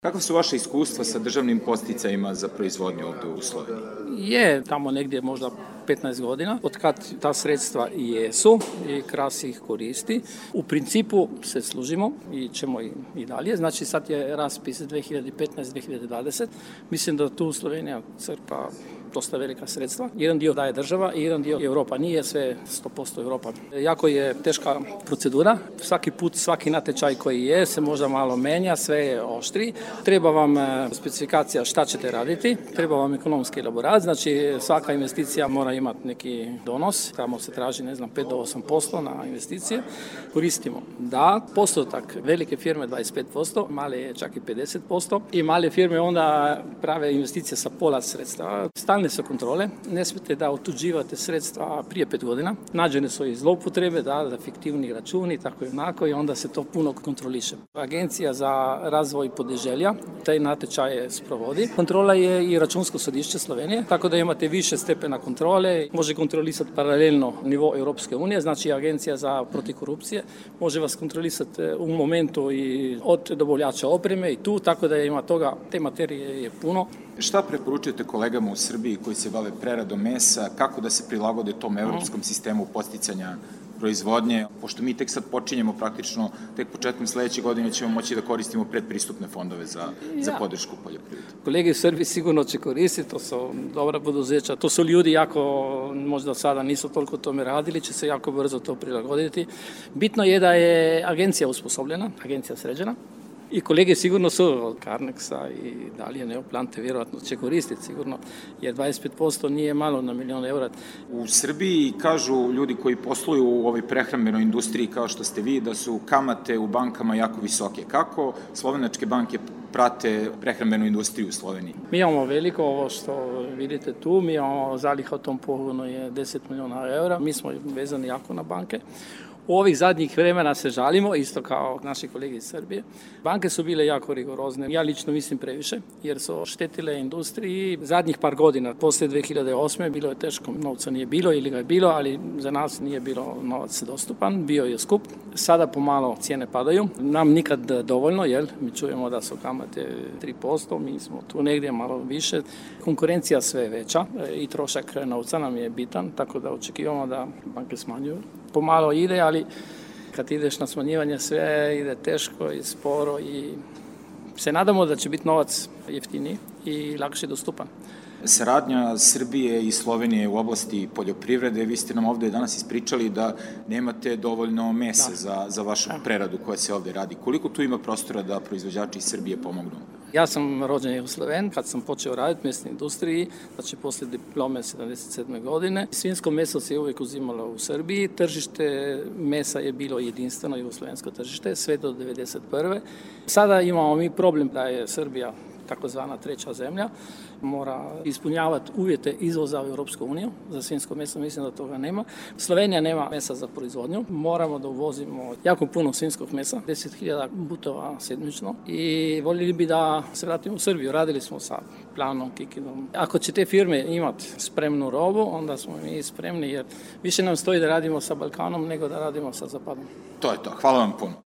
Kakva su vaše iskustva sa državnim podsticajima za proizvodnju ovde u Sloveniji? Je tamo negdje možda 15 godina, od kad ta sredstva i jesu i KRAS ih koristi. U principu se služimo i ćemo i dalje. Znači sad je raspis 2015-2020. Mislim da tu Slovenija crpa dosta velika sredstva. Jedan dio daje država i jedan dio Europa. Nije sve 100% Europa. Jako je teška procedura. Svaki put, svaki natječaj koji je se možda malo menja, sve je oštri. Treba vam specifikacija šta ćete raditi, treba vam ekonomski elaborat, znači svaka investicija mora imati neki donos, tamo se traži 5 do 8% na investicije. Koristimo da postotak velike firme 25%, male je čak i 50% i male firme onda prave investicije sa pola sredstva. Stalne su kontrole, ne smijete da otuđivate sredstva prije 5 godina, nađene su i zloupotrebe, da fiktivni računi, tako i onako i onda se to puno kontroliše. Agencija za razvoj podeželja taj natječaj sprovodi. Kontrola je i računsko sodišće Slovenije, tako da imate više stepena kontrole, može kontrolisati paralelno nivo Europske unije, znači Agencija za protiv korupcije može vas kontrolisati u momentu i od dobavljača opreme i tu, tako da ima toga, te materije je puno. Šta preporučujete kolegama u Srbiji koji se bave preradom mesa, kako da se prilagode tom evropskom sistemu podsticanja proizvodnje, pošto mi tek sad počinjemo praktično, tek početkom sledeće godine ćemo moći da koristimo predpristupne fondove za podršku poljoprivrede. Kolege u Srbiji sigurno će koristiti, to su dobra poduzeća, to su ljudi jako, možda sada nisu toliko tome radili, će se jako brzo to prilagoditi. Bitno je da je agencija usposobljena, agencija sređena. I kolege sigurno su od Carnexa i dalje Neoplante vjerojatno će koristiti sigurno, jer 25% nije malo na milion eura. U Srbiji kažu ljudi koji posluju u ovoj prehrambenoj industriji kao što ste vi, da su kamate u bankama jako visoke. Kako slovenačke banke prate prehrambenu industriju u Sloveniji? Mi imamo veliko, ovo što vidite tu, mi imamo zaliha u tom pogonu je 10 miliona eura, mi smo vezani jako na banke. U ovih zadnjih vremena se žalimo, isto kao naši kolegi iz Srbije. Banke su bile jako rigorozne, ja lično mislim previše, jer su štetile industriji. Zadnjih par godina, poslije 2008. bilo je teško, novca nije bilo ili ga je bilo, ali za nas nije bilo novac dostupan, bio je skup. Sada pomalo cijene padaju, nam nikad dovoljno, jer mi čujemo da su kamate 3%, mi smo tu negdje malo više. Konkurencija sve je veća i trošak novca nam je bitan, tako da očekivamo da banke smanjuju. Pomalo ide, ali kad ideš na smanjivanje sve ide teško i sporo i se nadamo da će biti novac jeftiniji i lakše dostupan. Saradnja Srbije i Slovenije u oblasti poljoprivrede, vi ste nam ovde danas ispričali da nemate dovoljno mesa za vašu preradu koja se ovde radi. Koliko tu ima prostora da proizvođači iz Srbije pomognu? Ja sam rođen u Sloven, kad sam počeo raditi u mesnoj industriji, znači poslije diplome 77. godine. Svinjsko meso se uvijek uzimalo u Srbiji, tržište mesa je bilo jedinstveno jugoslovensko tržište, sve do 1991. Sada imamo mi problem da je Srbija takozvana treća zemlja, mora ispunjavati uvjete izvoza u Europsku uniju. Za svinjsko meso mislim da toga nema. Slovenija nema mesa za proizvodnju. Moramo da uvozimo jako puno svinjskog mesa, 10.000 butova sedmično i voljeli bi da se vratimo u Srbiju. Radili smo sa Planom, Kikinom. Ako će te firme imati spremnu robu, onda smo mi spremni jer više nam stoji da radimo sa Balkanom nego da radimo sa Zapadom. To je to. Hvala vam puno.